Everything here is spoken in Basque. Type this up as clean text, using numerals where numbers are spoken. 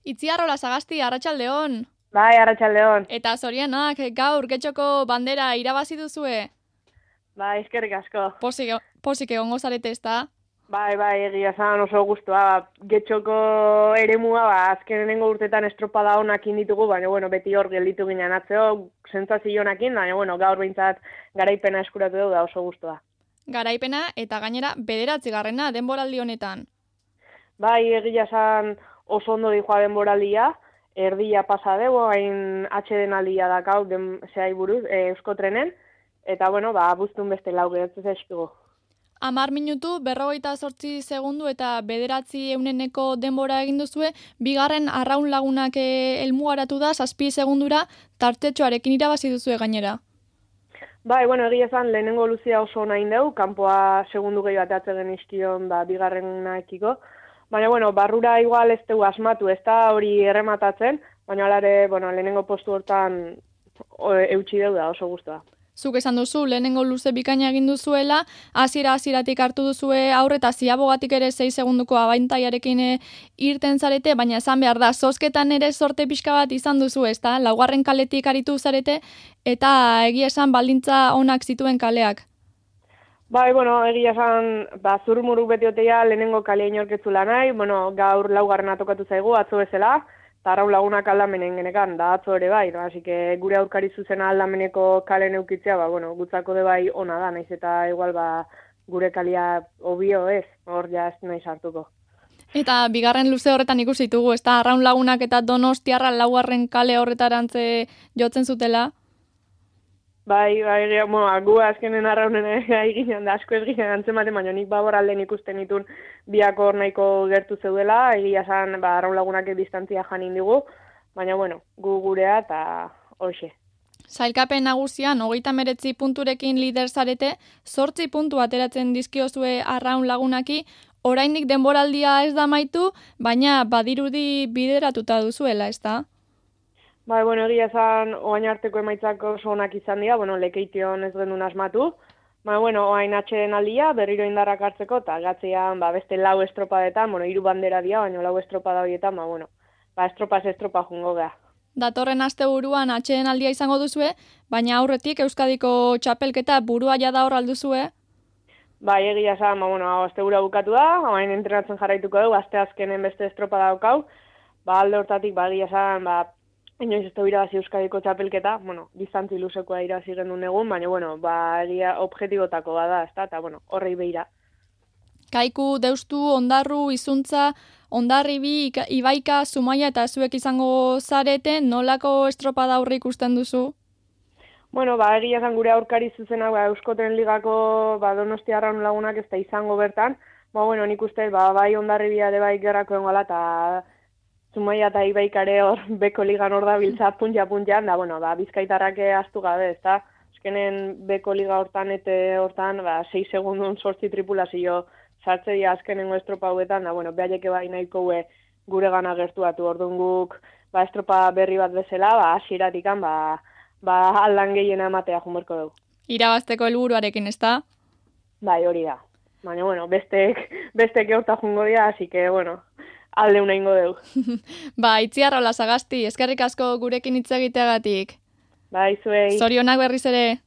Itziarrola Sagasti, arratsaldeon. Bai, arratsaldeon. Eta zorionak, gaur Getxoko bandera irabazi duzue. Bai, eskerrik asko. Posik egongo zarete ezta? Bai, egia esan oso gustua. Getxoko eremua, azkenengo urtetan estropada honakin ditugu, baina beti hor gelditu ginen atzeo, sentsazio honakin, baina gaur behintzat garaipena eskuratu dugu da oso gustua. Garaipena eta gainera 9. denboraldi honetan. Bai, egia esan oso ondo dijoa denboraldia, erdia pasa dugu, hain atxeden aldia dakau, zehai buruz, Euskotrenen, eta buztun beste lau geratzen zaizkigu. 10 minutu, 58 segundu eta 900 denbora egin duzue, bigarren arraun lagunak helmugaratu da, 7 segundura, tartetxoarekin irabazi duzue gainera. Bai, egia esan lehenengo luzia oso nahi dugu, kanpoa segundu gehi bat atzegen izkion bigarrena ekiko. Baina, barrura igual ez dugu asmatu, ez da hori errematatzen, baina alare, lehenengo postu hortan eutxi dugu da oso guztua. Zuk esan duzu, lehenengo luze bikaina egin duzuela, hasieratik hartu duzue aurreta ziabogatik ere 6 segunduko abantailarekin irten zarete, baina esan behar da, zozketan ere sorte pixka bat izan duzu, ezta? Laugarren kaletik aritu zarete, eta egia esan baldintza onak zituen kaleak. Bai, egia esan, zurmuruk beti oteia lehenengo kalea inorketzula nahi, gaur laugarrena tokatu zaigu, atzo bezala, eta arraun lagunak aldamenen genekan, da atzo ere bai, así que gure aurkari zuzena aldameneko kale neukitzea, gutzako de bai ona da, naiz eta igual gure kalia obio ez, hor ja ez nahi sartuko. Eta bigarren luze horretan ikusi ditugu, ez da, arraun lagunak eta Donostiarra laugarren kale horretarantze jotzen zutela? Bai, gu azkenen arraunen eginen da, asko ez ginen antzematen, baina nik alden ikusten ditun biak hor nahiko gertu zeudela, egia esan arraun lagunak distantzia janin digu, baina gu gurea eta hoxe. Sailkapen nagusian 39 punturekin lider zarete, 8 puntu ateratzen dizkiozue arraun lagunaki, oraindik denboraldia ez da amaitu, baina badirudi bideratuta duzuela, ez da? Bai, egia esan, oain arteko emaitzak oso onak izan dira, lekeition ez genuen asmatu. Oain atxeden aldia, berriro indarrak hartzeko, eta gatzean beste lau estropadetan, 3 bandera dira, baina lau estropada horietan, estropa jungo geha. Datorren asteburuan atxeden aldia izango duzue, baina aurretik Euskadiko txapelketa burua jada hor alduzue? Bai, egia esan, astebura bukatu da, oain entrenatzen jarraituko dugu, aste azkenen beste estropada daukau, alde hortatik, egia esan, inoiz ez da irabazi Euskadiko txapelketa, distantzi luzekoa irabazi gendun egun, baina, egia objetibotako bada, ez da, eta, horrei behira. Kaiku, Deustu, Ondarru, Izuntza, Ondarribi, Ibaika, Zumaia eta zuek izango zarete, nolako estropada aurre ikusten duzu? Egia esan gure aurkari zuzena, Euskotren ligako Donostia arraun lagunak ez da izango bertan, nik uste, bai Ondarribia ere bai gerrako engala, eta Zumaia eta Ibaikare hor beko ligan hor da biltza puntja-puntjan, da, bizkaitarrak astu gabe, ez da? Azkenen beko liga hortan, 6 segundun 8 tripulazio sartze dira azkenengo estropa hauetan, da, behaieke bai nahiko gure gana gertuatu, orduan guk, estropa berri bat bezala, hasieratikan, aldan gehiena ematea junberko dugu. Irabazteko helburuarekin, ez da? Bai, hori da. Baina, bestek horta jungo dira, así que, alde una ingo dugu. Itziarrola Sagasti, eskerrik asko gurekin hitz egiteagatik. Bai, zuei. Zorionak berriz ere.